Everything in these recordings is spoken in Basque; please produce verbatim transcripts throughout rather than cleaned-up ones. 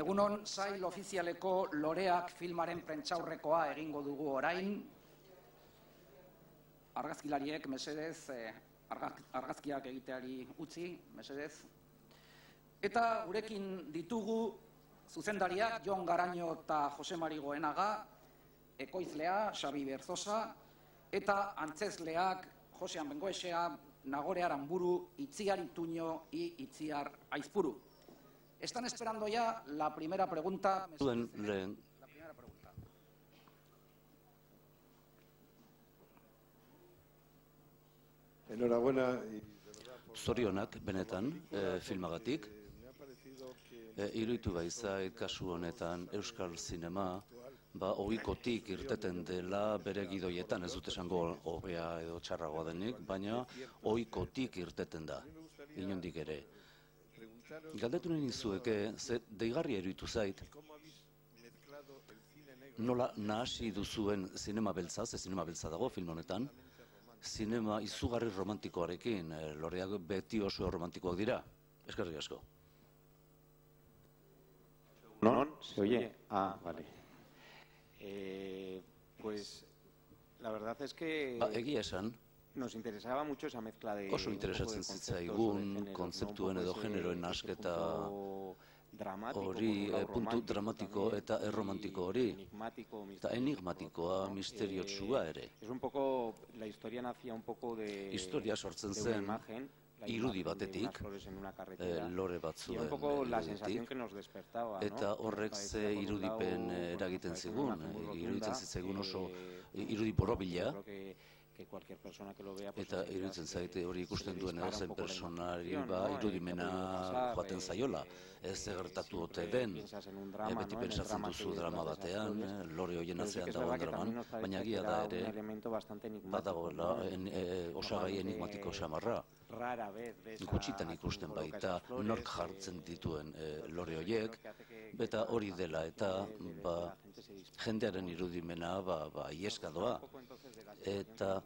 Egunon, sail ofizialeko Loreak filmaren prentsaurrekoa egingo dugu orain. Argazkilariek, mesedez, argazkiak egiteari utzi, mesedez. Eta gurekin ditugu zuzendariak Jon Garaño eta Jose Mari Goenaga, ekoizlea Xabi Berzosa, eta antzezleak Josean Bengoechea, Nagore Aramburu, Itziar Ituño y Itziar Aizpuru. Están esperando ya la primera pregunta. La primera pregunta. Enhorabuena. Zorionak, benetan, filmagatik. Iruditu baizait, kasu honetan, Euskal Zinema, ba, ohikotik irteten dela bere gidoietan, ez dut esango hobea edo txarragoa denik, baina ohikotik irteten da, inondik ere. Galdetu nahi nizueke, ze deigarria iruditu zait, nola nahasi duzuen zinema beltza, ze zinema beltza dago film honetan, zinema izugarri romantikoarekin, Loreak beti oso romantikoak dira. Eskerrik asko. ¿No? ¿Se oye? Ah, vale. Eh, pues la verdad es que ba, egia esan, nos interesaba mucho esa mezcla de oso interesatzen zitzaigun kontzeptuen edo generoen nasketa hori, puntu dramatiko eta erromantiko hori, eta enigmatikoa, misteriotsua ere. Historia sortzen zen irudi batetik, lore batzuen iruditik, eta horrek ze irudipen eragiten zigun, iruditzen zitzaigun oso irudi borobila, eta iruditzen zaite hori ikusten duen edozen personari ba irudimena joaten zaiola. Ez gertatu ote den, beti pentsatzen duzu drama batean, Lore horien atzean dagoen draman, baina egia da ere, badagoela osagai enigmatiko xamarra. Gutxitan ikusten baita nork jartzen dituen Lore horiek, eta hori dela eta jendearen irudimena ieska doa. Eta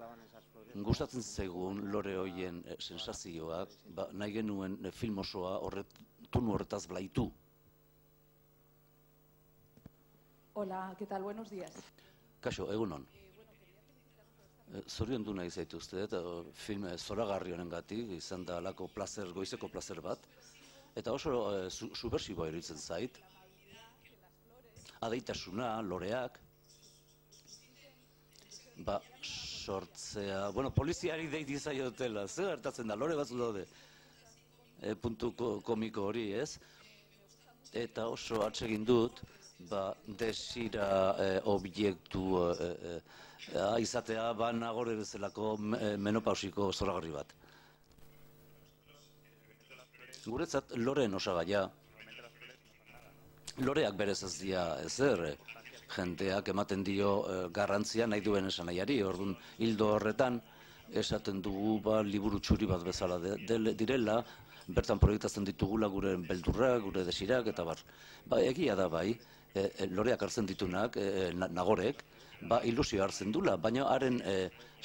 gustatzen zaigun Lore horien sensazioak, nahi genuen film osoa tunu horretaz blaitu. Hola, ¿qué tal? Buenos días. Kaixo, egunon. Zoriondu nahi zaituzte, eta film zoragarri honengatik, izan da alako plazer, goizeko plazer bat, eta oso subversiboa iruditzen zait. Adeitasuna, Loreak, ba, sortzea, bueno, poliziari deiti zaiotela, zer gertatzen da, Lore batzu daude, puntu komiko hori, ez? Eta oso atsegin dut, ba, desira objektu izatea, ba, Nagore bezalako menopausiko zoragarri bat. Guretzat, Loreen osagaia, Loreak berez ez dira ezer, jendeak ematen dio garrantzia nahi duen esanaiari, orduan hildo horretan esaten dugu liburu txuri bat bezala direla, bertan proiektatzen ditugula gure beldurrak, gure desirak, eta bar. Egia da bai, Loreak hartzen ditunak, Nagorek, ilusio hartzen dula, baina haren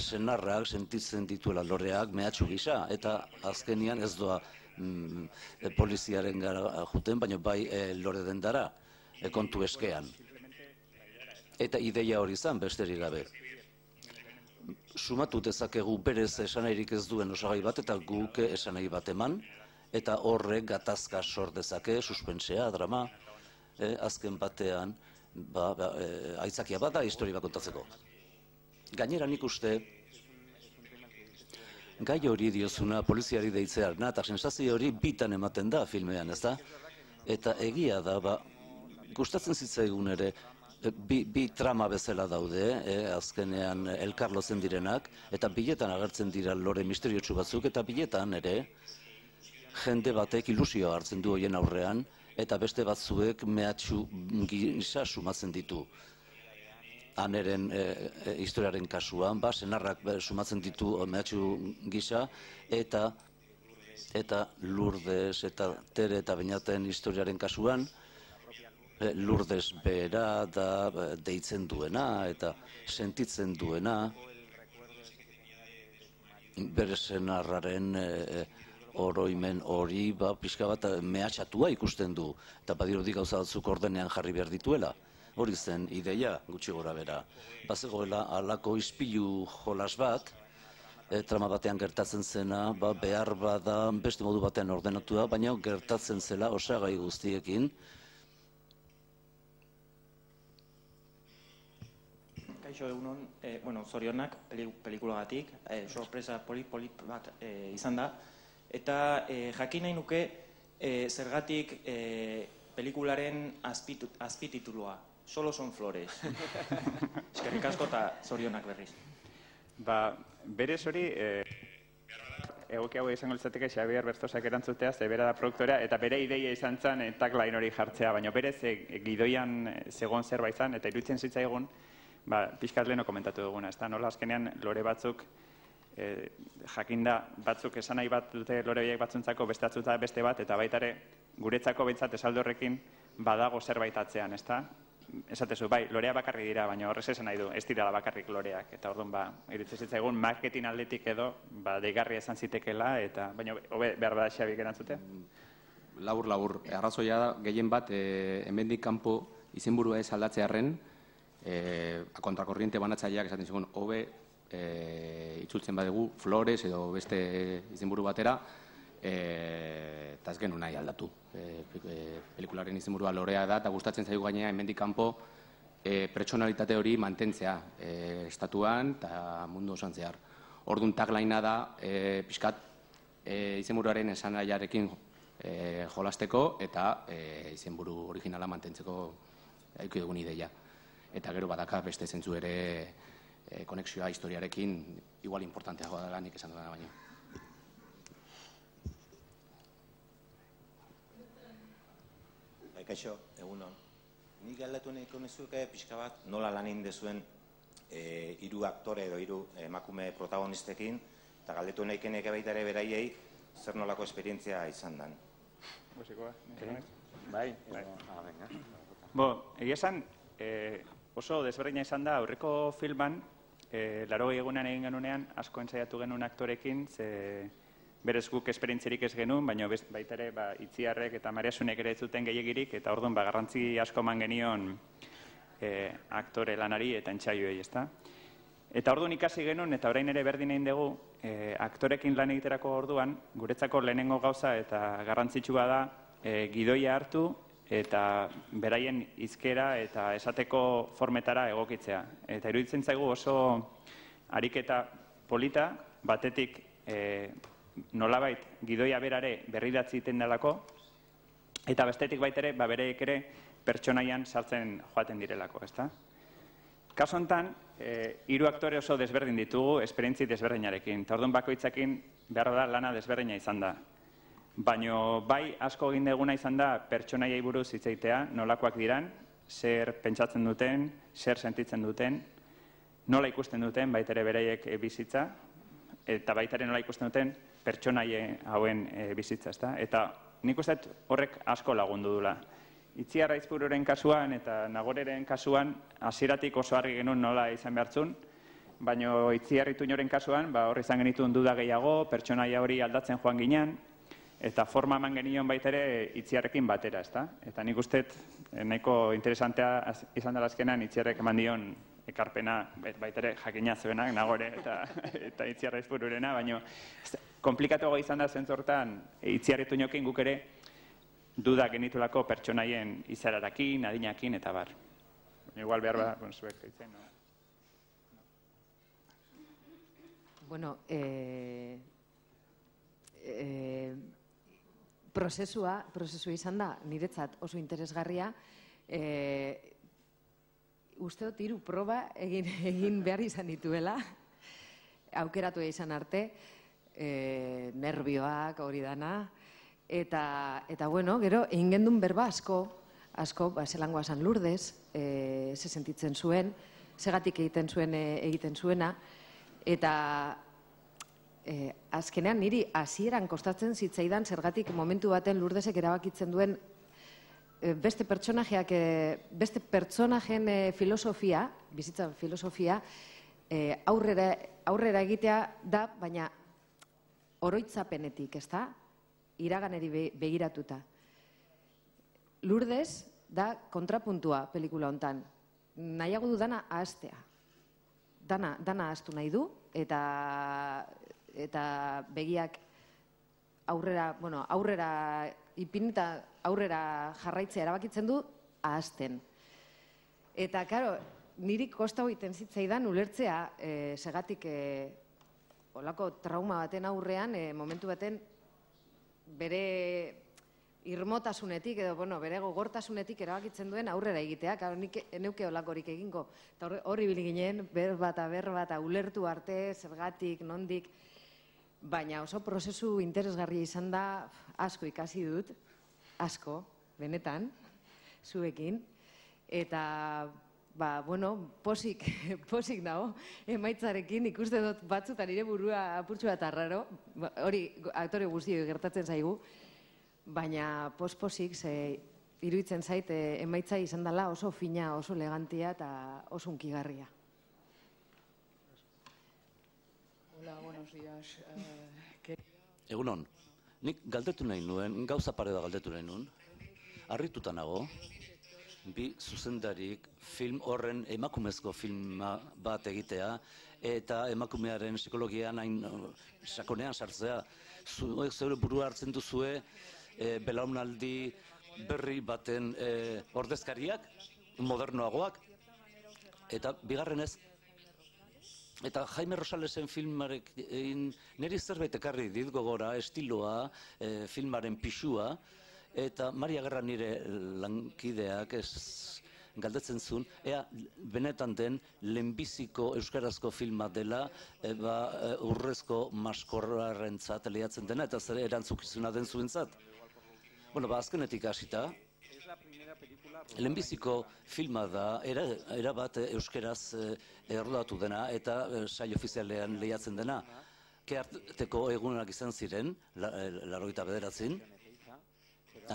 senarrak sentitzen dituela Loreak mehatxu gisa, eta azkenian ez doa poliziaren gara juten, baina bai Lore dendara, kontu eskean. Eta ideia hori izan besterik gabe. Sumatu dezakegu berez esanairik ez duen osagai bat eta guk esanai bat eman, eta horrek gatazka sor dezake, suspensea, drama, azken batean aitzakia bada historia bat kontatzeko. Gainera nik uste, gai hori diozuna poliziari deitzearna, eta sensazio hori bitan ematen da filmean, ez da? Eta egia da, gustatzen zitzaigun ere, bi trama bezala daude, azkenean elkarlotzen direnak, eta biletan agertzen dira Lore misteriotsu batzuk, eta biletan ere, jende batek ilusioa hartzen du hoien aurrean, eta beste batzuek mehatxu gisa sumatzen ditu. Aneren historiaren kasuan, senarrak sumatzen ditu mehatxu gisa, eta Lourdes eta Tere eta Beñaten historiaren kasuan, Lourdes bera da deitzen duena eta sentitzen duena bere senarraren oroimen hori pixka bat mehatxatua ikusten du, eta badirudi gauza batzuk ordenean jarri behar dituela. Hori zen ideia gutxi gora bera. Bazegoela halako ispilu jolas bat, trama batean gertatzen zena, behar bada beste modu batean ordenatua, baina gertatzen zela osagai guztiekin. Kaixo egunon, bueno, zorionak pelikulagatik, sorpresa polit-polit bat izan da, eta jakin nahi nuke zergatik pelikularen azpititulua, Solo son flores. Eskerrik asko eta zorionak berriz. Ba, berez hori, egoki hau izango litzateke Xabier Bertosak erantzutea, ze bera da produktorea, eta bere ideia izan zen tagline hori jartzea, baina berez gidoian zegoen zerbait izan, eta iruditzen zitzaigun, pixkat leheno komentatu duguna, ez da, nola azkenean lore batzuk, jakinda batzuk esan nahi bat dute lore horiek batzuntzako beste atzuta beste bat, eta baitare guretzako behintzat esaldo horrekin badago zerbait atzean, ez da? Esatezu, bai, lorea bakarrik dira, baina horrez esan nahi du, ez dirala bakarrik loreak, eta orduan, ba, iruditzen zitzaigun, marketing aldetik edo, ba, deigarria izan zitekela, eta, baina, hobe, behar bada Xabik erantzutea? Labur, labur, arrazoia da, gehien bat, hemendik kanpo izenburua ez aldatzearren, kontrakorriente banatzaileak esaten zigun, hobe, itzultzen badegu, Flores edo beste izenburu batera, eta ez genuen nahi aldatu. Pelikularen izenburua lorea da, eta gustatzen zaigu gainea hemendik kanpo pertsonalitate hori mantentzea estatuan eta mundu osoan zehar. Orduan taglinea da, pixkat izenburuaren esanaiarekin jolasteko eta izenburu originala mantentzeko aiki dugun ideia. Eta gero badaka beste zentzu ere konexioa historiarekin igual importanteagoa dela nik esan duena baino. Kaixo, egunon. Nik galdatu nahiko nizuke pixka bat nola lan egin dezuen hiru aktore edo hiru emakume protagonistekin, eta galdetu nahiko neke baita ere beraiei zer nolako esperientzia izan dan. Bai, bo, egia esan, oso desberdina izan da aurreko filman, laurogei egunean egin genunean, asko ensaiatu genuen aktorekin, ze berez guk esperientziarik ez genuen, baina baita ere Itziarrek eta Mariasunek ere ez zuten gehiegirik, eta orduan garrantzi asko eman genion aktore lanari eta entsaioei, ezta? Eta orduan ikasi genuen, eta orain ere berdin egin dugu, aktorekin lan egiterako orduan, guretzako lehenengo gauza eta garrantzitsua da gidoia hartu eta beraien hizkera eta esateko formetara egokitzea. Eta iruditzen zaigu oso ariketa polita, batetik nolabait gidoia berare berridatzi iten delako, eta bestetik baitere, bereek ere pertsonaian sartzen joaten direlako, ezta? Kaso honetan, hiru aktore oso desberdin ditugu, esperientzi desberdinarekin, eta orduan bakoitzakin behar da lana desberdina izan da. Baina bai asko egin deguna izan da pertsonaiai buruz hitz egitea, nolakoak diran, zer pentsatzen duten, zer sentitzen duten, nola ikusten duten, baitere bereiek bizitza, eta baitare nola ikusten duten pertsonaie hauen bizitza, ezta? Eta nik uste horrek asko lagundu dula. Itziar Aizpururen kasuan eta Nagoreren kasuan hasieratik oso argi genuen nola izan behartzun, baina Itziar Ituñoren kasuan hor izan genituen duda gehiago, pertsonaia hori aldatzen joan ginen, eta forma eman genion baitere Itziarrekin batera, ezta? Eta nik uste nahiko interesantea izan dela azkenan Itziarrek eman dion ekarpena baitere jakina zuenak, Nagore eta Itziar Aizpururena, baina komplikatuago izan da zentzortan Itziar Ituñokin guk ere duda genitulako pertsonaien izararakin, adinakin eta bar. Igual behar ba, zuek gaitzen, no? Bueno, prozesua, prozesua izan da, niretzat oso interesgarria, usteot hiru proba egin behar izan dituela, aukeratu izan arte, nervioak hori dana, eta bueno, gero, egin gendun berba asko, asko, zelangoa San Lourdes, ze sentitzen zuen, segatik egiten zuen egiten zuena, eta azkenean niri hasieran kostatzen zitzaidan zergatik momentu baten Lourdesek erabakitzen duen beste pertsonajeak, beste pertsonajen filosofia, bizitza filosofia, aurrera egitea da, baina oroitzapenetik, ez da? iraganeri begiratuta. Lourdes da kontrapuntua pelikula hontan. Nahiago du dana ahaztea. Dana, dana ahaztu nahi du, eta, eta begiak aurrera, bueno, aurrera ipinita aurrera jarraitzea erabakitzen du ahazten. Eta, karo, niri kosta egiten zitzaidan ulertzea, e, segatik e, olako trauma baten aurrean, e, momentu baten bere irmotasunetik edo, bueno, bere gogortasunetik erabakitzen duen aurrera egitea, karo, nik neuke olakorik egingo. Eta hori bil ginen, ber bata, ber bata, ulertu arte, zergatik, nondik, baina oso prozesu interesgarria izan da, asko ikasi dut, asko, benetan, zuekin, eta, ba, bueno, posik, posik dago, emaitzarekin, ikuste dut batzutan nire burua apurtxu bat arraro, hori aktore guztioi gertatzen zaigu, baina posposik, ze iruditzen zait, emaitza izan dela oso fina, oso elegantia eta oso hunkigarria. Hola, buenos días. Egunon, nik galdetu nahi nuen, gauza pare da galdetu nahi nuen, harrituta nago, bi zuzendarik film horren emakumezko filma bat egitea, eta emakumearen psikologian hain sakonean sartzea. Zeure burua hartzen duzue, belaunaldi berri baten ordezkariak, modernoagoak, eta bigarrenez, eta Jaime Rosalesen filmarekin niri zerbait ekarri dit gogora, estiloa, filmaren pixua, eta Maria Gerra nire lankideak galdetzen zuen, ea benetan den lehenbiziko euskarazko filma dela urrezko maskorrarentzat lehiatzen dena, eta zer erantzukizuna den zuentzat. Bueno, ba, azkenetik hasita, lehenbiziko filma da, erabat euskeraz errodatu dena, eta sail ofizialean lehiatzen dena. Kearteko egunak izan ziren, laurogeita bederatzin,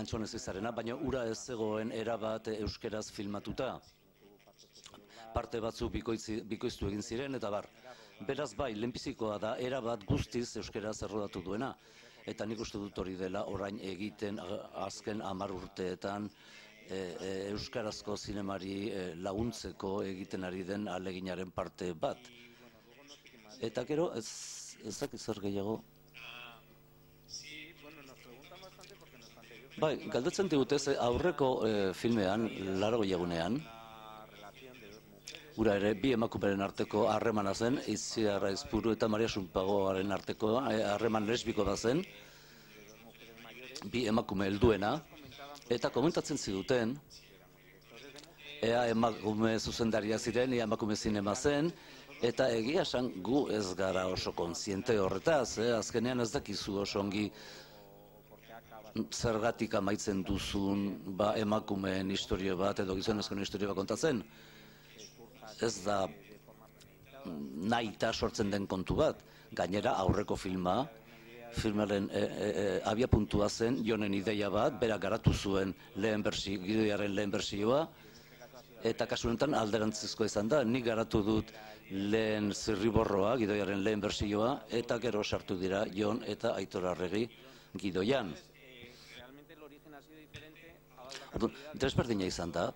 Antxonez izarena, baina ura ez zegoen erabat euskeraz filmatuta. Parte batzu bikoiztu egin ziren, eta bar. Beraz bai, lehenbizikoa da, erabat guztiz euskeraz errodatu duena. Eta nik uste dut hori dela orain egiten azken hamar urteetan euskarazko zinemari laguntzeko egiten ari den ahaleginaren parte bat. Eta gero, ez dakit zer gehiago. Bai, galdetzen digutez, aurreko filmean, laurogeita egunean, gura ere, bi emakumeren arteko harremana zen, Itziar Aizpuru eta Maria Sunpagoaren arteko harreman lesbiko da zen, bi emakume helduena, eta komentatzen ziduten, ea emakume zuzendaria ziren, ea emakume zinema zen, eta egia esan gu ez gara oso kontziente horretaz, azkenean ez dakizu oso ongi zergatik amaitzen duzun emakumeen historio bat edo gizonezkoen historio bat kontatzen. Ez da nahita sortzen den kontu bat. Gainera aurreko filma, filmaren abiapuntua zen, Jonen ideia bat, berak garatu zuen lehen bersio, gidoiaren lehen bersioa, eta kasu honetan alderantzizkoa izan da, nik garatu dut lehen zirriborroa, gidoiaren lehen bersioa, eta gero sartu dira Jon eta Aitor Arregi gidoian. Desberdina izan da,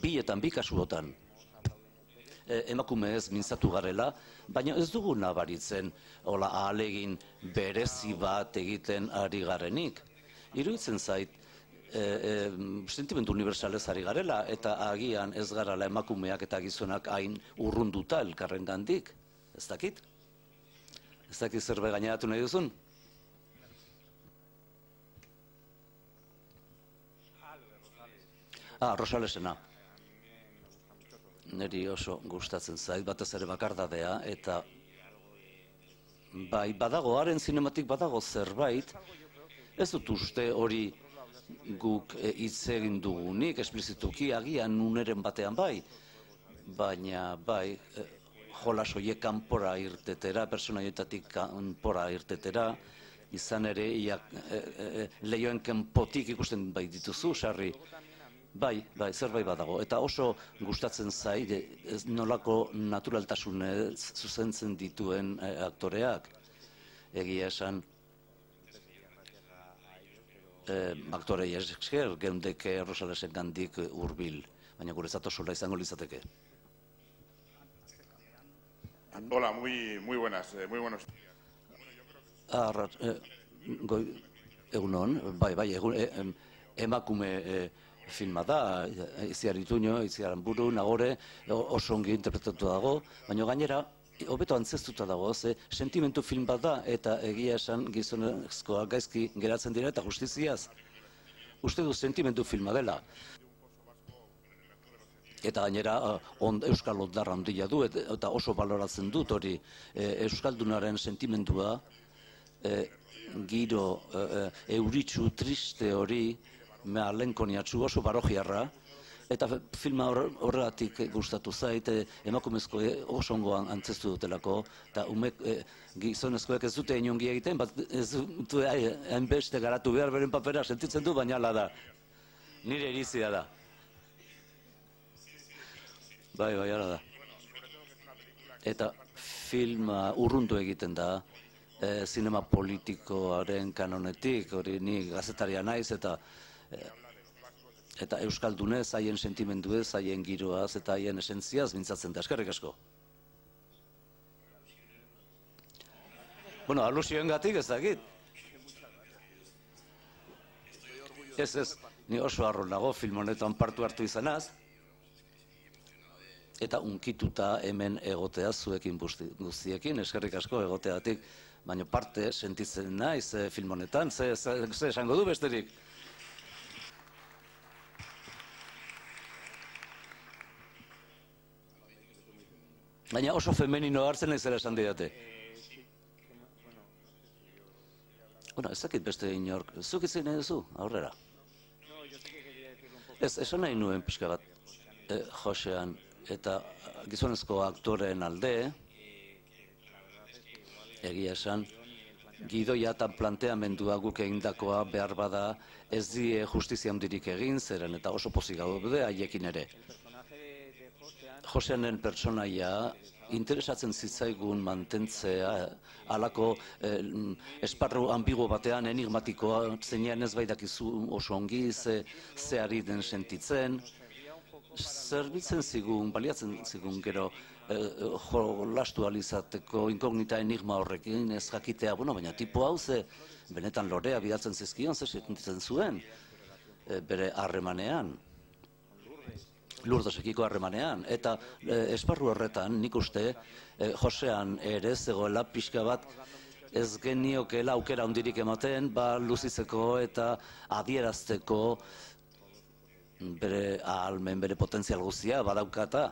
bietan, bi kasuotan, emakume ez mintzatu garela, baina ez dugu nabaritzen ahalegin berezi bat egiten ari garenik. Iruditzen zait, sentimendu unibersalez ari garela, eta agian ez garala emakumeak eta gizonak hain urrunduta elkarren gandik. Ez dakit? Ez dakit zerbait gaineratu nahi duzun? Ah, Rosalesena. Neri oso gustatzen zait, batez ere bakardadea, eta bai, badago, haren zinematik badago zerbait, ez dut uste hori guk hitz egin dugunik, esplizituki agian uneren batean bai, baina bai, jolas horiek kanpora irtetera, personaioetatik kanpora irtetera, izan ere, lehioen kanpotik ikusten bai dituzu, sarri. Bai, bai, zerbait badago. Eta oso gustatzen zai, nolako naturaltasunez zuzentzen dituen aktoreak. Egia esan, aktorei esker, geundeke Rosalesen gandik hurbil, baina guretzat osola izango litzateke. Hola, muy, muy buenas, eh, muy buenos días. Arrat, eh, goi, egunon, bai, bai, egun, eh, emakume eh, filma da, Itziar Ituño, Itziar Anburu, Nagore, oso ongi interpretatu dago, baina gainera, hobeto antzestuta dago, ze sentimentu film bat da, eta egia esan gizonezkoa gaizki geratzen dira eta justiziaz. Uste du sentimentu filma dela. Eta gainera, on, Euskal Ondarra handia du, eta oso baloratzen dut hori Euskaldunaren sentimentua, e, giro e, euritsu triste hori, mea lenkoniatzu oso barojiarra, eta filma horregatik gustatu zait, emakumezko oso ongoan antzestu dutelako, eta umek, e, gizonezkoek ez dute inongi egiten, bat ez dute hainbeste garatu behar beren papera sentitzen du, baina ala da. Nire irizia da. Bai, bai, ala da. Eta filma urrundu egiten da, e, zinema politikoaren kanonetik, hori ni gazetaria naiz, eta e, eta Euskaldunez, haien sentimenduez, haien giroaz, eta haien esentziaz mintzatzen da. Eskerrik asko. Bueno, alusioen gatik ez dakit. Ez, ez, ni oso harro nago film honetan partu hartu izanaz, eta unkituta hemen egotea zuekin guztiekin, eskerrik asko egoteatik, baina parte sentitzen naiz film honetan, ze esango du besterik. Baina oso femenino hartzen ez zera esan didate. Bueno, ez dakit beste inork, zuk itzen nahi duzu, aurrera. Ez, esan nahi nuen pixka bat, eh, Josean, eta gizonezko aktoreen alde, egia esan, gidoia eta planteamendua guk egindakoa behar bada ez die justizia handirik egin, zeren eta oso pozik gaude haiekin ere. Joseanen pertsonaia interesatzen zitzaigun mantentzea halako eh, esparru ambigu batean enigmatikoa zeinean ez baidakizu oso ongi ze, ze ari den sentitzen, zerbitzen zigun, baliatzen zigun gero eh, jolastu alizateko inkognita enigma horrekin ez jakitea, bueno, baina tipo hau ze benetan lorea bidaltzen zizkion, ze sentitzen zuen eh, bere harremanean. Lurdesekiko harremanean, eta e, esparru horretan nik uste e, Josean ere zegoela pixka bat ez geniokeela aukera handirik ematen, ba luzitzeko eta adierazteko bere ahalmen, bere potentzial guztia badaukata.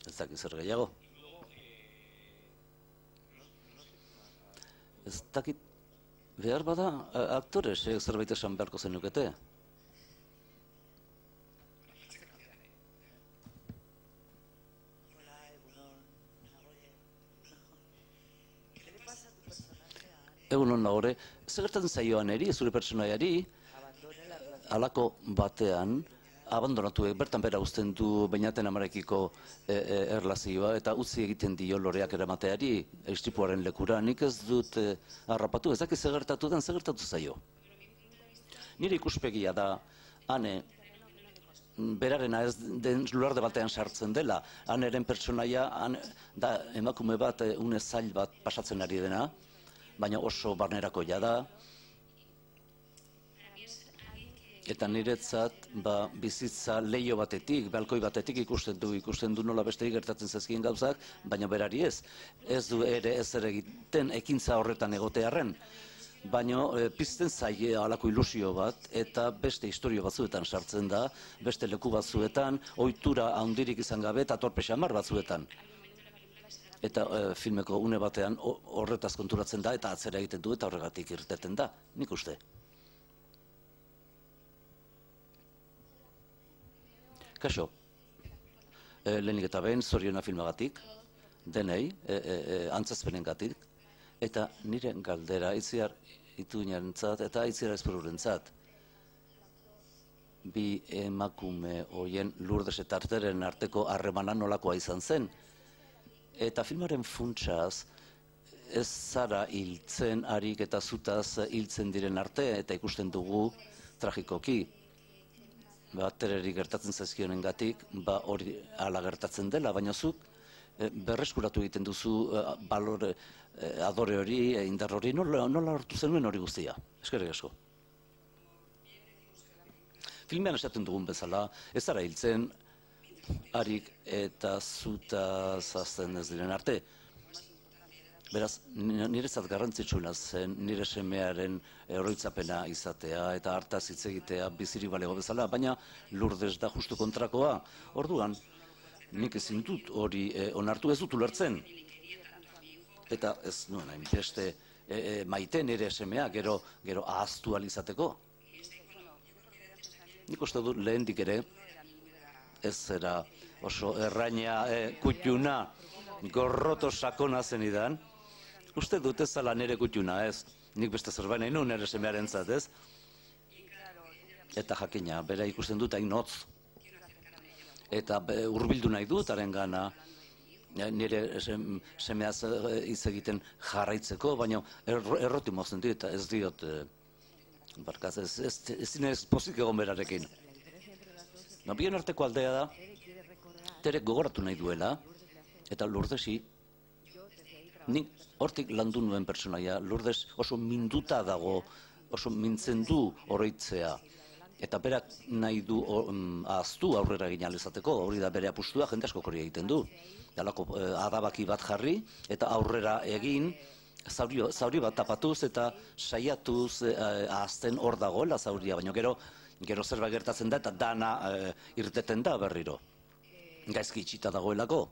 Ez dakit zer gehiago. Ez dakit behar bada aktoresek zerbait esan beharko zenukete. Egunon Nagore, zer gertatzen zaioan eri, zure pertsonaiari, halako batean, abandonatu, bertan bera uzten du Beñaten amarekiko e, e, erlazioa, eta utzi egiten dio loreak eramateari, istripuaren lekura, nik ez dut e, harrapatu, ez dakit zer gertatu den, zer gertatu zaio. Nire ikuspegia da, hane, berarena ez den luarde batean sartzen dela, haneren pertsonaia, han, da emakume bat, une zail bat pasatzen ari dena, baina oso barnerakoia da, eta niretzat ba, bizitza leio batetik, balkoi batetik ikusten du, ikusten du nola besterik gertatzen zezkien gauzak, baina berari ez. Ez du ere ez ere egiten ekintza horretan egotearren, baina e, pizten zaie halako ilusio bat, eta beste historio batzuetan sartzen da, beste leku batzuetan, ohitura handirik izan gabe eta torpe xamar batzuetan. Eta e, filmeko une batean horretaz konturatzen da, eta atzera egiten du, eta horregatik irteten da, nik uste. Kaixo, e, lehenik eta behin zoriona filmagatik, denei, e, e, e, antzazpenengatik, eta nire galdera Itziar Ituñarentzat eta Itziar Aizpururentzat. Bi emakume hoien Lourdes eta Arteren arteko harremana nolakoa izan zen. Eta filmaren funtsaz, ez zara hiltzen harik eta zutaz hiltzen diren arte, eta ikusten dugu tragikoki. Batererik gertatzen zaizkionen gatik, ba hori ala gertatzen dela, baina zuk berreskuratu egiten duzu balore, adore hori, indar hori, nola hartu zenuen hori guztia? Eskerrik asko. Filmean esaten dugun bezala, ez zara hiltzen harik eta zutaz azten ez diren arte. Beraz, niretzat garrantzitsuena zen nire semearen oroitzapena izatea eta hartaz hitz egitea bizirik balego bezala, baina Lourdes da justu kontrakoa. Orduan, nik ezin dut hori onartu, ez dut ulertzen. Eta ez nuen, hainbeste maite nire semea gero ahaztu alizateko. Nik uste dut lehendik ere, ez zera oso erraina kutxuna gorroto sakona zenidan. Uste dut ez zala nire kutxuna, ez? Nik beste zerbait nahi nuen nire semearen zat, ez? Eta jakina, bera ikusten dut hain hotz. Eta hurbildu nahi dut haren gana nire semeaz hitz egiten jarraitzeko, baina erroti mozen dit, ez diot, barkaz, ez zinez pozik egon berarekin. Bien arteko aldea da, Terek gogoratu nahi duela, eta Lourdesi, nik hortik landu nuen personaia, Lourdes oso minduta dago, oso mintzen du oroitzea, eta berak nahi du ahaztu aurrera egin alizateko, hori da bere apustua, jende asko hori egiten du. Dalako adabaki bat jarri, eta aurrera egin, zauri bat tapatuz eta saiatuz ahazten hor dagoela zauria, baina gero gero zerbait gertatzen da eta dana irteten da berriro. Gaizki itxita dagoelako,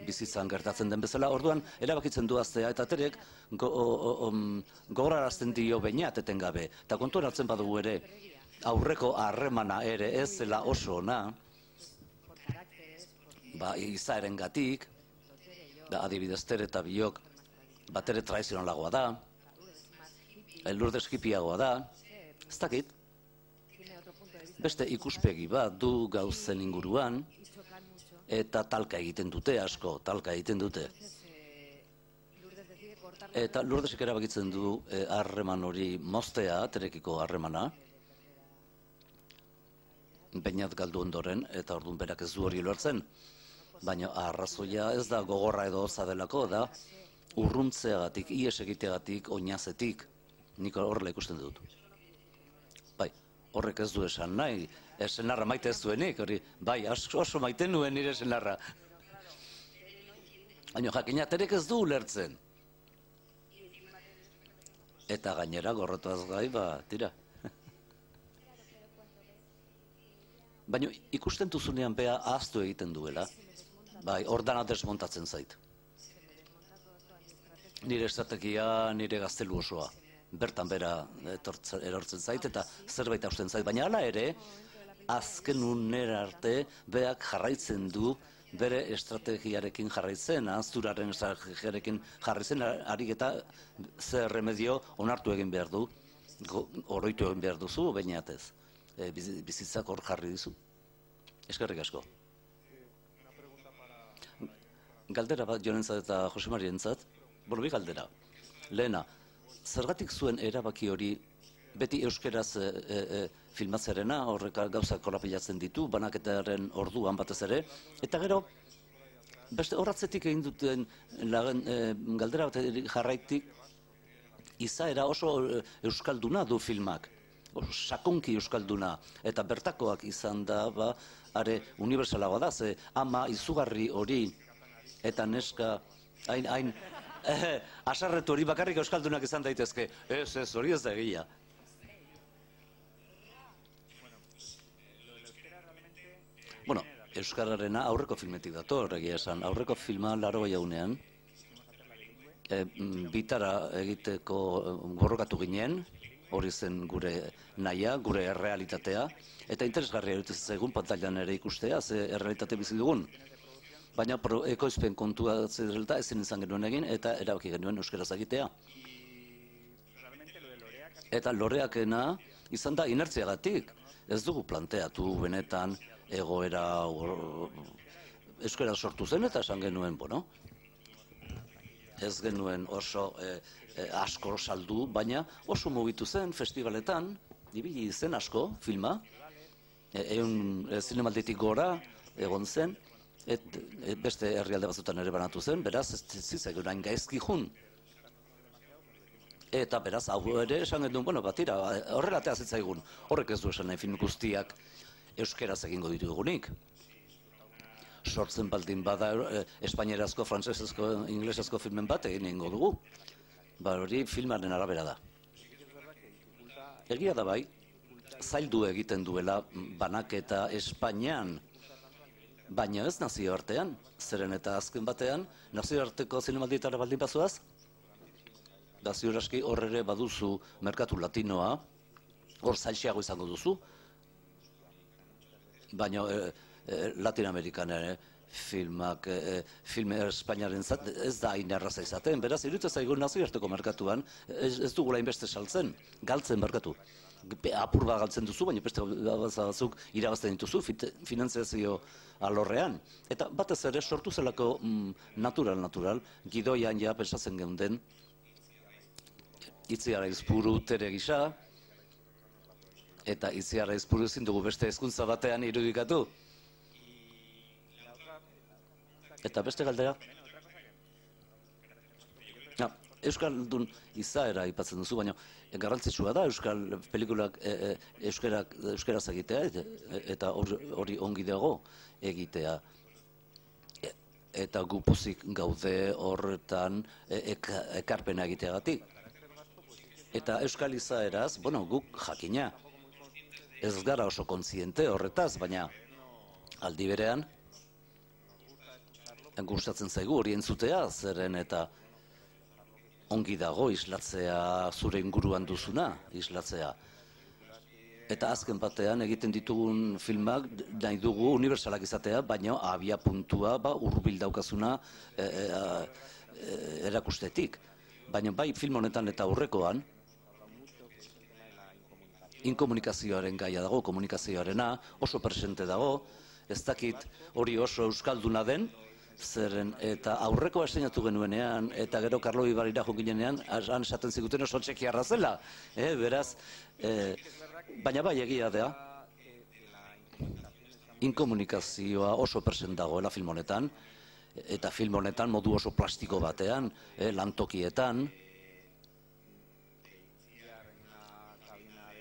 bizitzan gertatzen den bezala, orduan erabakitzen du aztea eta Terek gogorarazten dio bainat etengabe. Eta kontuan hartzen badugu ere, aurreko harremana ere ez zela oso ona, ba, izaeren gatik, adibidez Tere eta biok, bat ere traizionalagoa da, Lourdes hipiagoa da, ez dakit, beste ikuspegi bat du gauzen inguruan, eta talka egiten dute asko, talka egiten dute. Eta Lourdesek erabakitzen du harreman hori moztea, Terekiko harremana, bainat galdu ondoren, eta orduan berak ez du hori lortzen. Baina arrazoia ez da gogorra edo hotza delako, da urruntzeagatik, ies egiteagatik, oinazetik, nik horrela ikusten dut. Bai, horrek ez du esan nahi, senarra maite ez duenik, hori, bai, oso maite nuen nire senarra. Baina jakina Terek ez du ulertzen. Eta gainera gorrotuaz gai, ba, tira. Baina ikusten duzunean bea ahaztu egiten duela, bai, ordana desmontatzen zait. Nire estrategia, nire gaztelu osoa. Bertan bera erortzen zait eta zerbait hausten zait. Baina hala ere, azken unera arte, beak jarraitzen du bere estrategiarekin jarraitzen, ahazturaren estrategiarekin jarraitzen, harik eta zer remedio onartu egin behar du, oroitu egin behar duzu, baina ez. Bizitzak hor jarri dizu. Eskerrik asko. Galdera bat Jonentzat eta Jose Marientzat, bueno, bi galdera. Lehena, zergatik zuen erabaki hori beti euskeraz filmatzearena, horrek gauzak korapilatzen ditu, banaketaren orduan batez ere, eta gero, beste horratzetik egin duten galdera bat jarraitik, izaera oso euskalduna du filmak. Sakonki euskalduna, eta bertakoak izan da, ba, are universalagoa da, ze ama izugarri hori, eta neska, hain, hain, asarretu hori bakarrik euskaldunak izan daitezke, ez, ez, hori ez da egia. Bueno, euskararena aurreko filmetik dator, egia esan, aurreko filma laro jaunean, bitara egiteko borrokatu ginen, hori zen gure nahia, gure errealitatea, eta interesgarria dut egun pantailan ere ikustea, ze errealitate bizi dugun. Baina ekoizpen kontua zerrelta ezin izan genuen egin, eta erabaki genuen euskeraz egitea. Eta loreakena izan da inertziagatik. Ez dugu planteatu benetan egoera euskera sortu zen, eta esan genuen, bueno, ez genuen oso asko saldu, baina oso mugitu zen festivaletan, ibili zen asko filma, egun zinemalditik gora egon zen, beste herrialde batzutan ere banatu zen, beraz ez zizaigun hain gaizki jun. Eta beraz, hau ere esan genuen, bueno, batira, horrela atea zitzaigun, horrek ez du esan nahi film guztiak euskeraz egingo ditugunik. Sortzen baldin bada espainierazko, frantsesezko, inglesezko filmen bat egin egingo dugu. Ba, hori filmaren arabera da. Egia da bai, zaildu egiten duela banaketa Espainian, baina ez nazioartean, zeren eta azken batean, nazioarteko zinemaldietara baldin bazoaz, da ziur aski hor ere baduzu merkatu latinoa, hor zailxeago izango duzu, baina Latin Amerikan ere filmak, filme Espainiaren zat, ez da hain erraza izaten, beraz, iruditzen zaigu nazioarteko merkatuan, ez dugula inbeste saltzen, galtzen merkatu. Apur bat galtzen duzu, baina beste batzuk irabazten dituzu, finanziazio alorrean. Eta batez ere sortu zelako natural-natural, gidoian ja pensatzen geunden, Itziar Aizpuru tere gisa, eta Itziar Aizpuru ezin dugu beste hezkuntza batean irudikatu. Eta beste galdera? Euskaldun izaera aipatzen duzu, baina garrantzitsua da Euskal pelikulak euskaraz egitea, eta hori ongi dago egitea. Eta gu pozik gaude horretan ekarpena egiteagatik. Eta Euskal izaeraz, bueno, guk jakina. Ez gara oso kontziente horretaz, baina aldi berean, gustatzen zaigu hori entzutea, zeren eta ongi dago islatzea zure inguruan duzuna, islatzea. Eta azken batean egiten ditugun filmak nahi dugu unibertsalak izatea, baina abia puntua hurbil daukazuna erakustetik. Baina bai film honetan eta aurrekoan, inkomunikazioaren gaia dago, komunikazioarena oso presente dago, ez dakit hori oso euskalduna den, zeren eta aurreko estrenatu genuenean, eta gero Karlo Ibarrira jokinenean, han esaten ziguten oso txekiarra zela, beraz, baina bai egia da, inkomunikazioa oso present dagoela film honetan, eta film honetan modu oso plastiko batean, lantokietan,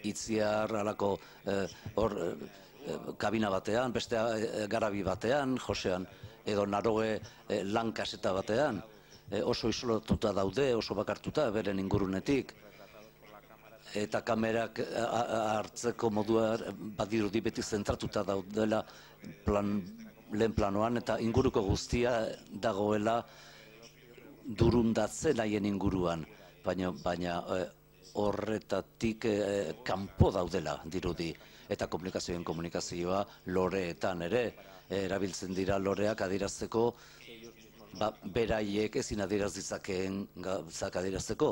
Itziar alako kabina batean, beste garabi batean, Josean, edo Naroe lan kaseta batean, oso isolatuta daude, oso bakartuta, beren ingurunetik, eta kamerak hartzeko modua badirudi beti zentratuta daudela lehen planoan, eta inguruko guztia dagoela durundatzen haien inguruan, baina horretatik kanpo daudela dirudi, eta komunikazioen komunikazioa loreetan ere, erabiltzen dira loreak adierazteko, beraiek ezin adieraz ditzakeen gauzak adierazteko.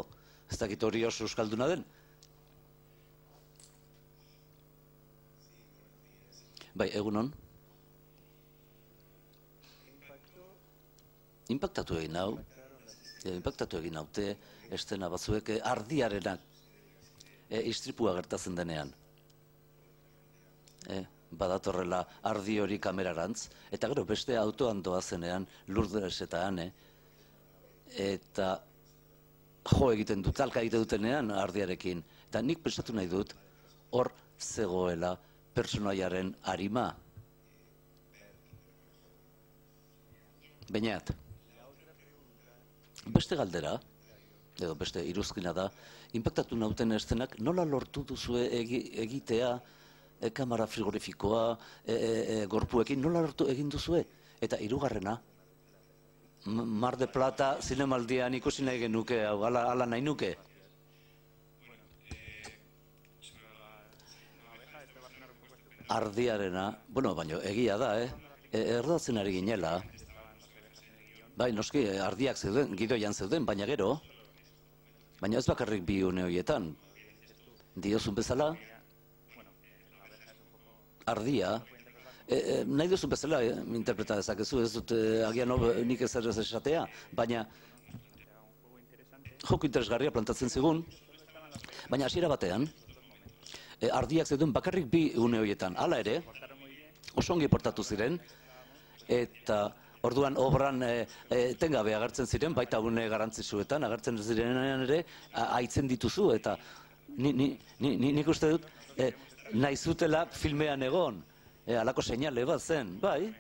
Ez dakit hori oso euskalduna den? Bai, egunon? Inpaktatu egin hau, inpaktatu egin haute, estena batzuek ardiarenak istripua gertatzen denean. Badatorrela ardi hori kamerarantz, eta gero beste autoan doazenean Lourdes eta Ane, eta jo egiten dut, talka egiten dutenean ardiarekin, eta nik pensatu nahi dut hor zegoela personaiaren arima. Bainat, beste galdera, edo beste iruzkina da, inpaktatu nauten estenak nola lortu duzue egitea kamera frigorifikoa, gorpuekin, nola lortu egin duzue? Eta hirugarrena, Mar de Plata zinemaldian ikusi nahi genuke, ala nahi nuke. Ardiarena, bueno, baina egia da, eh? Erdatzen ari ginela. Bai, noski, ardiak zeuden, gidoian zeuden, baina gero, baina ez bakarrik bi une horietan. Diozun bezala, ardia, nahi duzun bezala interpreta dezakezu, ez dut agian nik ez errez esatea, baina joko interesgarria plantatzen zigun, baina hasiera batean, ardiak zeuden bakarrik bi une horietan. Hala ere, oso ongi portatu ziren, eta orduan obran etengabe agertzen ziren, baita une garrantzitsuetan, agertzen zirenean ere, haitzen dituzu, eta nik uste dut, nahi zutela filmean egon, halako seinale bat zen, bai?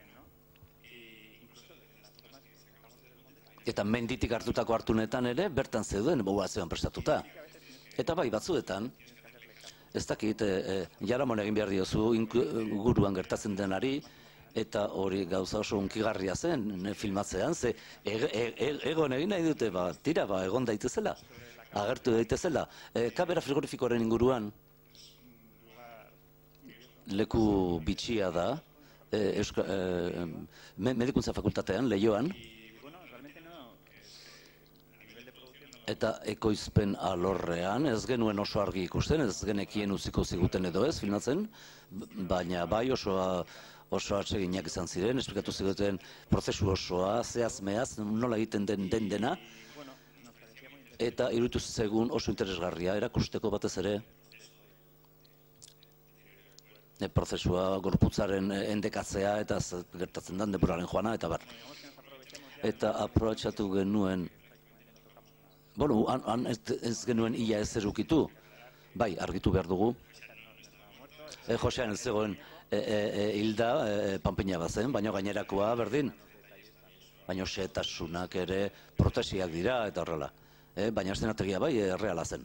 Eta menditik hartutako hartunetan ere, bertan zeuden, boa zean prestatuta. Eta bai, batzuetan, ez dakit, jaramon egin behar diozu guruan gertatzen denari, eta hori gauza oso unkigarria zen filmatzean, ze egon egin nahi dute, tira, egon daitezela, agertu daitezela. Kamera frigorifikoaren inguruan, leku bitxia da, medikuntza fakultatean, Leioan, eta ekoizpen alorrean, ez genuen oso argi ikusten, ez genekien utziko ziguten edo ez, filmatzen, baina bai osoa oso atseginak izan ziren, esplikatu ziguten prozesu osoa, zehaz mehaz, nola egiten den den dena, eta iruditu zegun oso interesgarria, erakusteko batez ere, prozesua gorputzaren endekatzea, eta gertatzen den denboraren joana, eta bar. Eta aprobetxatu genuen, bueno, han ez genuen ia ez erukitu, bai, argitu behar dugu. Josean ez zegoen hilda, panpina bazen, baina gainerakoa berdin. Baina xehetasunak ere protesiak dira eta horrela. Baina eszenategia bai, erreala zen.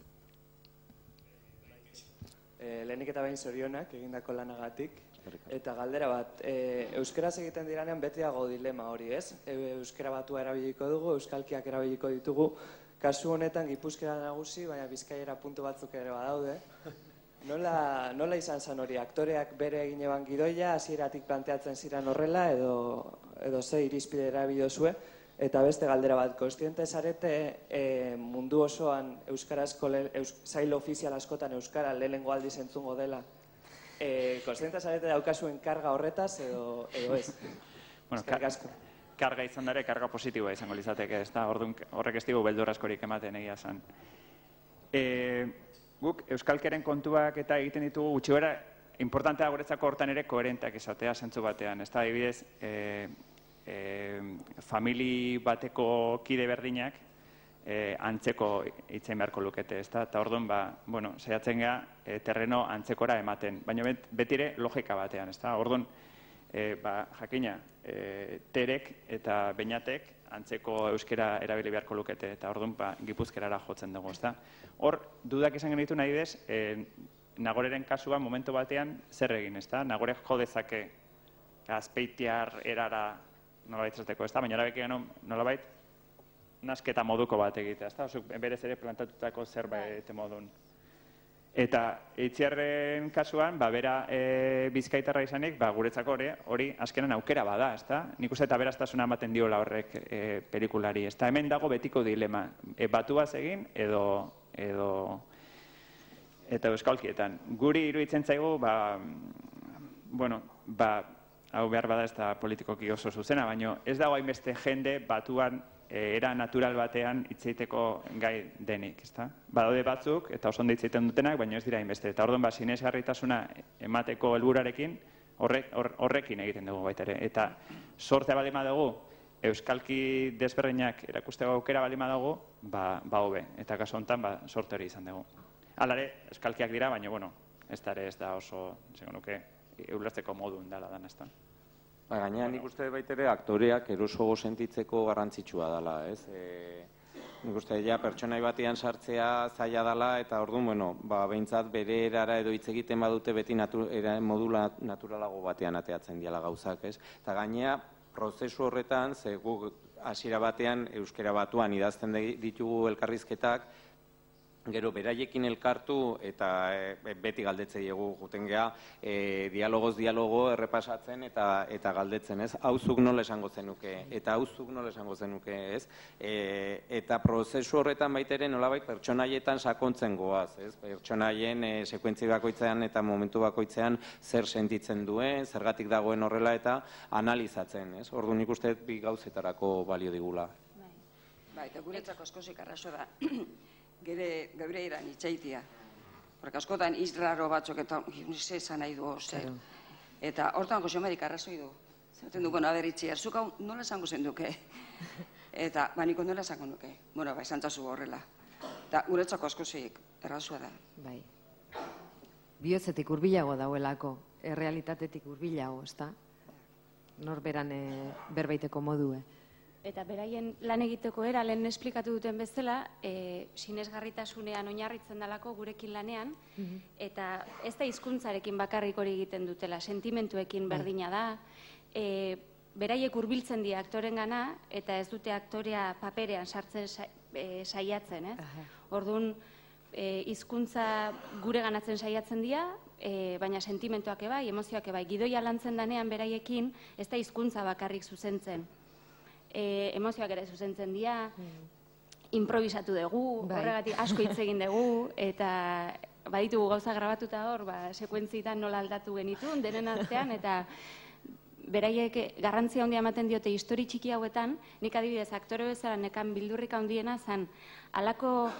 Lehenik eta behin zorionak egindako lanagatik. Eta galdera bat, euskaraz egiten diranean beti dago dilema hori, ez? Euskara batua erabiliko dugu, euskalkiak erabiliko ditugu. Kasu honetan Gipuzkoa nagusi, baina Bizkaiera puntu batzuk ere badaude. Nola izan zen hori? Aktoreak bere egin eban gidoia, hasieratik planteatzen ziren horrela, edo ze irizpide erabilizue? Eta beste galdera bat, kontziente zarete mundu osoan euskarazko sail ofizial askotan euskara lehenengo aldiz entzungo dela. Kontziente zarete daukazuen karga horretaz edo ez? Eskerrik asko. Karga izan dara, karga positiboa izango lizateke, ez da, horrek ez digu beldur askorik ematen egia zen. Guk, euskalkeren kontuak eta egiten ditugu gutxi bera, importantea guretzako hortan ere koherenteak izatea zentzu batean, ez da, adibidez, famili bateko kide berdinak antzeko hitzen beharko lukete, ez da, eta orduan, bueno, saiatzen gara terreno antzekora ematen, baina betire logika batean, ez da, orduan, jakina, terek eta beinatek antzeko euskera erabili beharko lukete, eta orduan gipuzkerara jotzen dugu, ez da. Hor, dudak izan genitu nahi bez, Nagoreren kasua momentu batean zer egin, ez da? Nagorek jo dezake azpeitiar erara nolabait zateko, ez da? Baina erabeki gano nolabait nasketa moduko bat egitea, ez da? Osuk berez ere plantatutako zerbait modun. Eta Itziarren kasuan, bera bizkaitarra izanik, guretzako hori azkenan aukera bada, ez da? Nik uste eta beraztasuna ematen diola horrek pelikulari, ez da? Hemen dago betiko dilema, batuaz egin edo eta euskalkietan. Guri iruditzen zaigu, bueno, hau behar bada ez da politikoki oso zuzena, baina ez dago hainbeste jende batuan era natural batean hitzeiteko gai denik, ezta? Badaude batzuk, eta oso ondo hitzeiten dutenak, baina ez dira hainbeste. Eta orduan, sinesgarritasuna emateko helburarekin horrekin egiten dugu baita ere. Eta sortea baldin badugu, euskalki desberdinak erakusteko aukera baldin badugu, ba hobe. Eta kasu honetan, sorte hori izan dugu. Halare, euskalkiak dira, baina, bueno, ez da ere ez da oso, zengo nuke, ulertzeko modun dela dan, ez da. Gaina nik uste baitere aktoreak erosogo sentitzeko garrantzitsua dela, ez? Nik uste ja pertsonai batean sartzea zaila dela, eta orduan, bueno, behintzat bere erara edo hitz egiten badute beti modu naturalago batean ateatzen diala gauzak, ez? Eta gaina, prozesu horretan, ze guk hasiera batean euskera batuan idazten ditugu elkarrizketak, gero beraiekin elkartu eta beti galdetzei egu juten geha dialogoz dialogo errepasatzen eta galdetzen, ez? Hauzuk nola esango zenuke, eta hauzuk nola esango zenuke, ez? Eta prozesu horretan baitere nolabait pertsonaietan sakontzen goaz, ez? Pertsonaien sekuentzi bakoitzean eta momentu bakoitzean zer sentitzen duen, zergatik dagoen horrela eta analizatzen, ez? Orduan nik uste bi gauzetarako balio digula. Ba, eta guretzako askozik arraso da, geure iran itxaitia. Porque askotan izraro batzuk eta ze esan nahi du, ze. Eta hortan Jose Marik arrazoi du. Zaten du, bueno, aberitzi, erzuk hau nola esango zen duke. Eta, ba, niko nola esango nuke. Bueno, ba, esan tazu horrela. Eta guretzako askozik errazua da. Bai. Bihotzetik hurbilago dauelako, errealitatetik hurbilago, ezta? Norberan berbaiteko modue. Eta beraien lan egiteko era, lehen esplikatu duten bezala, sinesgarritasunean oinarritzen dalako gurekin lanean, eta ez da hizkuntzarekin bakarrik hori egiten dutela, sentimentuekin berdina da, beraiek hurbiltzen dira aktoren gana, eta ez dute aktorea paperean sartzen saiatzen, ez? Orduan, hizkuntza gure ganatzen saiatzen dira, baina sentimentuak ebai, emozioak ebai, gidoia lantzen danean beraiekin, ez da hizkuntza bakarrik zuzentzen. Emozioak ere zuzentzen dira, improvisatu dugu, horregatik asko hitz egin dugu, eta baditugu gauza grabatuta hor, sekuentzietan nola aldatu genitun, denen artean, eta beraiek garrantzia handia ematen diote histori txiki hauetan, nik adibidez aktore bezala nekan bildurrik handiena zan, halako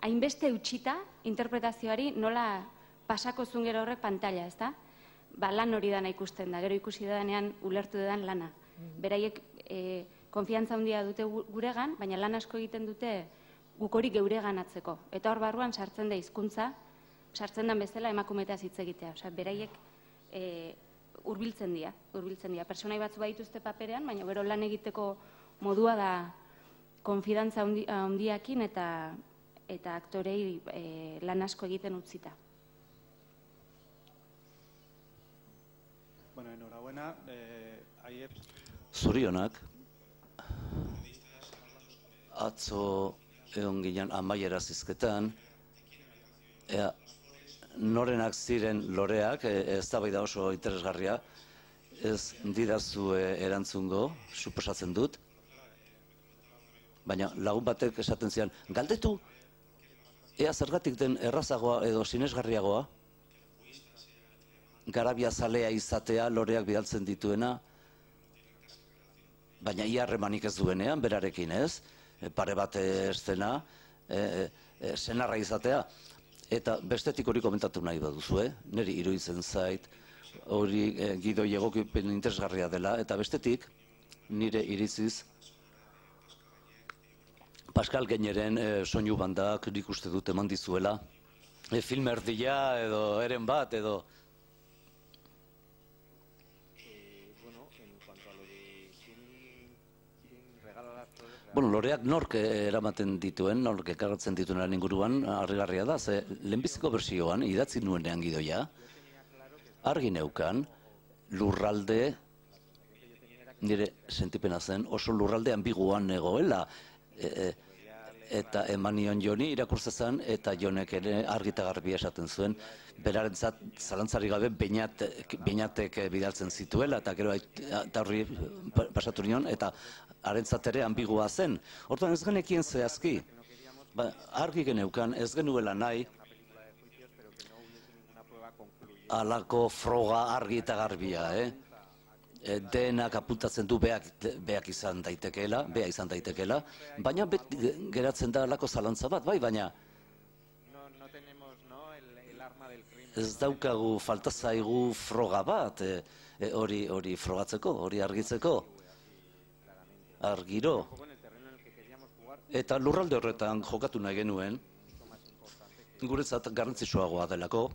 hainbeste utxita interpretazioari nola pasako zuen gero horrek pantalla, ez da? Ba, lan hori dana ikusten da, gero ikusi danean ulertu dedan lana. Beraiek konfiantza handia dute guregan, baina lan asko egiten dute guk hori geuregan atzeko. Eta hor barruan sartzen da hizkuntza, sartzen den bezala emakumeetaz hitz egitea. Osea, beraiek hurbiltzen dira, hurbiltzen dira. Pertsonai batzu badituzte paperean, baina gero lan egiteko modua da konfidantza handiakin eta eta aktorei lan asko egiten utzita. Bueno, enhorabuena. Zorionak, atzo egon ginen amaiera zizketan, norenak ziren loreak, ez da bai da oso interesgarria, ez didazu erantzungo, suposatzen dut, baina lagun batek esaten zian, galdetu, ea zergatik den errazagoa edo sinesgarriagoa, garabia zalea izatea loreak bidaltzen dituena, baina ia harremanik ez duenean, berarekin ez, pare bat estena, senarra izatea. Eta bestetik hori komentatu nahi baduzu, niri iruditzen zait, hori gidoi egokipen interesgarria dela, eta bestetik, nire iritziz, Pascal Gaineren soinu bandak nik uste dut eman dizuela, film erdia edo eren bat edo... Bueno, loreak nork eramaten dituen, nork ekarratzen dituen lan inguruan, harrigarria da, ze lehenbiziko bersioan, idatzi nuenean gidoia, argi neukan, lurralde, nire sentipena zen, oso lurralde ambiguan negoela, eta eman nion Joni irakurtzezan, eta Jonek ere argi eta garbi esaten zuen, berarentzat zalantzari gabe beinatek bidaltzen zituela, eta gero eta horri pasatu nion, eta harentzat ere ambigua zen. Hortan ez genekien zehazki, argi geneukan ez genuela nahi, alako froga argi eta garbia, denak apuntatzen du beak izan daitekeela, bea izan daitekeela, baina geratzen da alako zalantza bat, bai, baina ez daukagu falta zaigu froga bat, hori frogatzeko, hori argitzeko, argiro. Eta lurralde horretan jokatu nahi genuen, guretzat garrantzitsuagoa delako,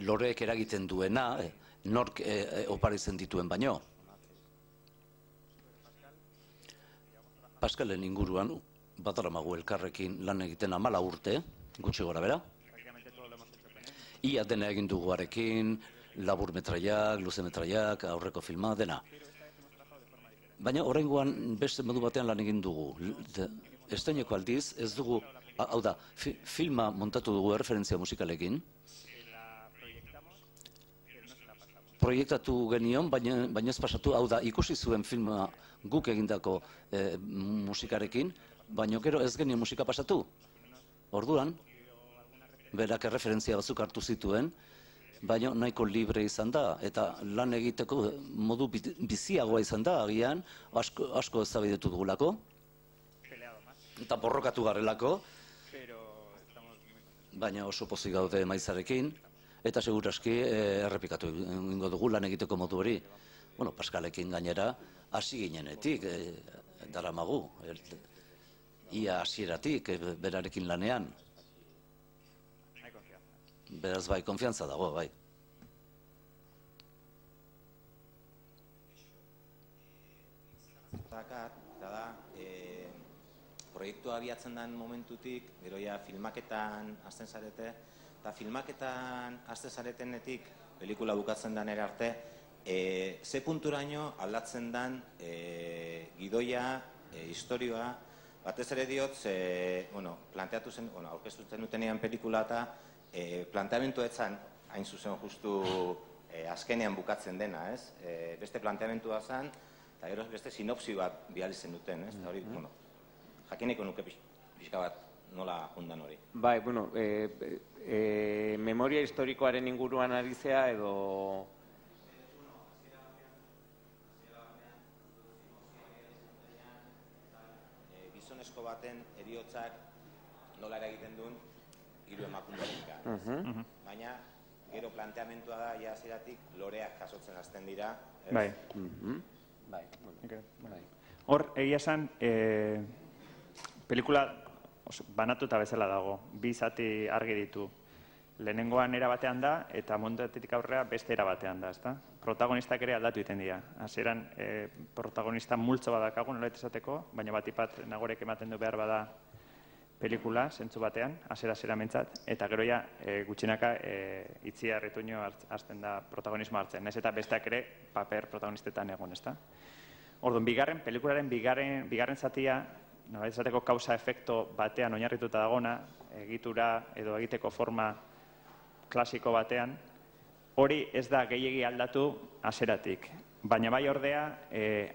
loreek eragiten duena, nork oparitzen dituen baino. Paskalen inguruan, badaramagu elkarrekin lan egiten amala urte, gutxi gora bera. Ia dena egin dugu arekin, labur metraiak, luze metraiak, aurreko filma, dena. Baina oraingoan beste modu batean lan egin dugu. Estaineko aldiz, ez dugu, hau da, filma montatu dugu erreferentzia musikalekin, proiektatu genion, baina ez pasatu, hau da, ikusi zuen filma guk egindako musikarekin, baina gero ez genio musika pasatu. Orduan, berak erreferentzia batzuk hartu zituen, baina nahiko libre izan da, eta lan egiteko modu biziagoa izan da, agian, asko ezabidetu dugulako, eta borrokatu garrelako, baina oso pozik gaude maizarekin, eta seguraski errepikatu ingo dugu lan egiteko modu hori. Bueno, Paskalekin gainera, hasi ginenetik, daramagu, ia hasieratik, berarekin lanean. Beraz bai, konfiantza dago, bai. Eta da, proiektua abiatzen den momentutik, gero ja filmaketan hasten zarete, eta filmaketan hasten zaretenetik, pelikula bukatzen den ere arte, ze punturaino aldatzen den gidoia, historioa, batez ere diot, planteatu zen, aurkeztu zen dutenean pelikula eta planteamentu etzan, hain zuzen justu azkenean bukatzen dena, ez? Beste planteamentua zen, eta gero beste sinopsi bat bihalitzen duten, ez? Eta hori, bueno, jakineko nuke pixka bat nola jundan hori. Bai, bueno, memoria historikoaren inguruan ari zea edo... Gizonezko baten heriotzak nola eragiten duen hiru emakumeak. Baina, gero planteamentua da, ja hasieratik loreak jasotzen hasten dira. Bai. Hor, egia esan, pelikula banatuta bezala dago, bi zati argi ditu. Lehenengoan era batean da, eta montatetik aurrera beste era batean da, ezta? Protagonistak ere aldatu iten dira. Hasieran protagonista multzo badakagu, nola esateko, baina batipat nagorek ematen du behar bada pelikula, zentzu batean, hasiera-hasiera mentzat, eta gero ja gutxinaka Itziar Ituño hasten da protagonismo hartzen, naiz eta besteak ere paper protagonistetan egon, ezta? Orduan, bigarren, pelikularen bigarren, bigarren zatia, nola esateko kausa-efekto batean oinarrituta dagona, egitura edo egiteko forma klasiko batean, hori ez da gehiegi aldatu hasieratik, baina bai ordea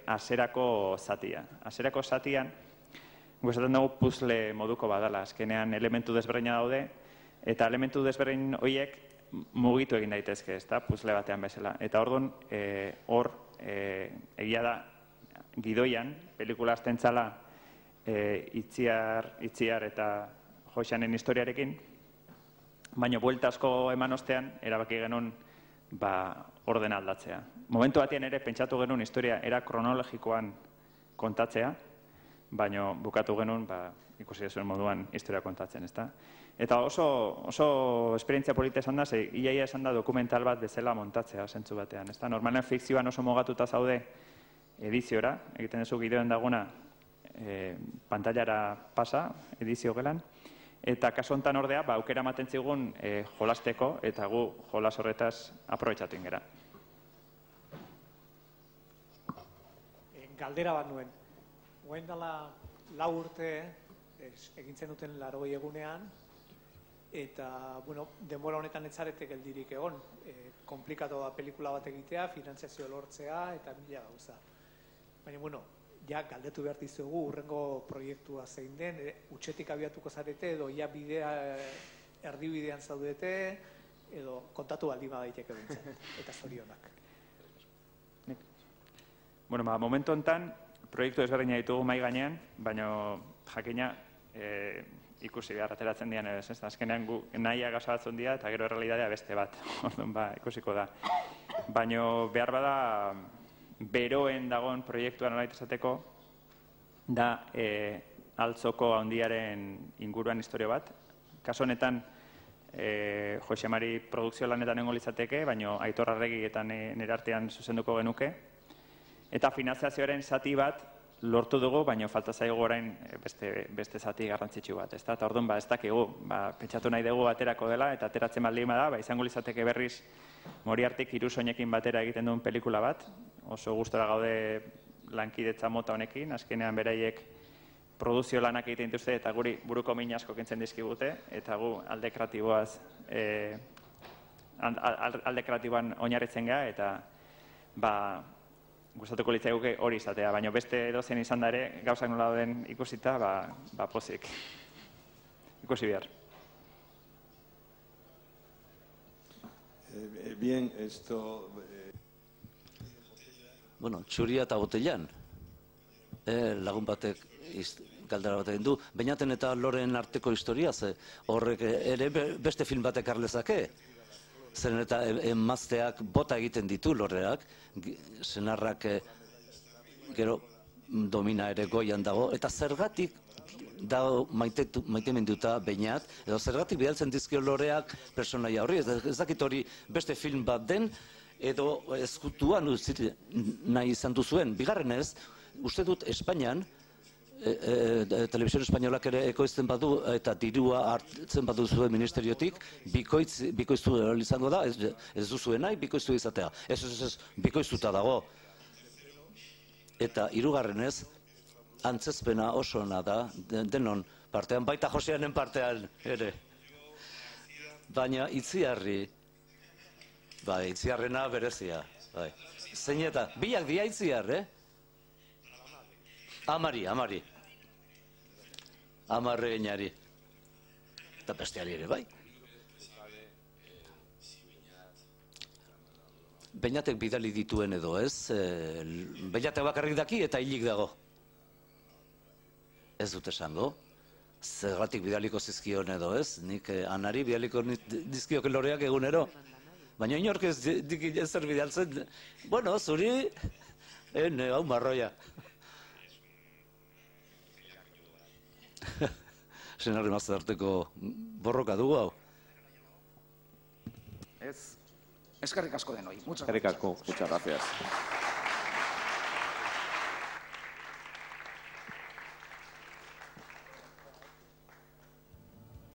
hasierako zatia. Hasierako zatian, gustatzen dugu puzzle moduko badala, azkenean elementu desberdina daude, eta elementu desberdin horiek mugitu egin daitezke, ezta, puzzle batean bezala. Eta orduan, hor, egia da, gidoian, pelikula azten txala Itziar eta Joxanen historiarekin, baina buelta asko eman ostean, erabaki genuen ordena aldatzea. Momentu batean ere, pentsatu genuen historia era kronologikoan kontatzea, baina bukatu genuen, ikusi zuen moduan historia kontatzen, ezta? Eta oso esperientzia polita esan da, ze iaia esan da dokumental bat bezala montatzea, zentzu batean, ezta? Normalen fikzioan oso mogatuta zaude ediziora, egiten duzu gideoen daguna pantailara pasa, edizio gelan, eta kasu honetan ordea, aukera ematen zigun jolasteko, eta gu jolas horretaz aprobetxatu ingera. Galdera bat nuen. Guen dela lau urte egintzen duten larogei egunean, eta, bueno, denbora honetan etzarete geldirik egon. Komplikatu da pelikula bat egitea, finantziazio lortzea, eta mila gauza. Baina, bueno, ja galdetu behar dizugu, urrengo proiektua zein den, utxetik abiatuko zarete, edo ia bidea erdibidean zaudete, edo kontatu baldima daiteke bintzen, eta zorionak. Bueno, ba, momentu honetan, proiektu ezberdina ditugu mai gainean, baina jakina ikusi behar ateratzen dian ez, ez? Azkenean gu nahia gauza batzun dira eta gero errealitatea beste bat, orduan ba, ikusiko da. Baina behar bada beroen dagoen proiektua nolait esateko, da altzoko handiaren inguruan historia bat. Kaso honetan, Jose Mari produkzio lanetan nengo litzateke, baina Aitor Arregi eta nire artean zuzenduko genuke. Eta finanziazioaren zati bat lortu dugu, baina falta zaigu orain beste zati garrantzitsu bat. Eta orduan, ez dakigu, pentsatu nahi dugu aterako dela, eta ateratzen baldin bada, izango litzateke berriz Moriartik hiru soinekin batera egiten duen pelikula bat. Oso gustora gaude lankidetza mota honekin, azkenean beraiek produzio lanak egiten dituzte eta guri buruko min asko kentzen dizkigute, eta gu alde kreatiboaz alde kreatiboan oinarritzen gara, eta ba gustatuko litzaiguke hori izatea, baina beste edozein izan da ere, gauzak nola den ikusita, ba pozik. Ikusi behar. Eh, bien, esto... Eh... Bueno, txuria eta botellan. Eh, lagun batek galdera bat egin du. Beñaten eta Loren arteko historia, ze horrek ere beste film batek arlezake. Zeren eta emazteak bota egiten ditu Loreak, senarrak gero domina ere goian dago, eta zergatik dago maitemenduta Beñat, edo zergatik bidaltzen dizkio Loreak personaia horri, ez dakit hori beste film bat den, edo ezkutuan nahi izan duzuen. Bigarrenez, uste dut Espainian, Televisión Espainolak ere ekoizten badu eta dirua hartzen badu zuen ministeriotik, bikoiztu izango da, ez duzuen nahi, bikoiztu izatea. Ez, ez, ez, bikoiztuta dago. Eta hirugarrenez, antzezpena oso ona da, denon partean, baita Joseanen partean ere. Baina Itziarri, bai, Itziarrena berezia, bai. Zein eta, biak dia Itziar, eh? Amari, amari. Amarre einari. Eta besteari ere, bai. Beñatek bidali dituen edo, ez? Beñatek bakarrik daki eta hilik dago. Ez dut esango. Zergatik bidaliko zizkion edo, ez? Nik Anari bidaliko dizkiok Loreak egunero. Baina inork ez zer bidaltzen. Bueno, zuri, ene, hau marroia. Senarri mazte arteko borroka dugu hau. Ez. Eskerrik asko denoi. Eskerrik asko. Muchas gracias.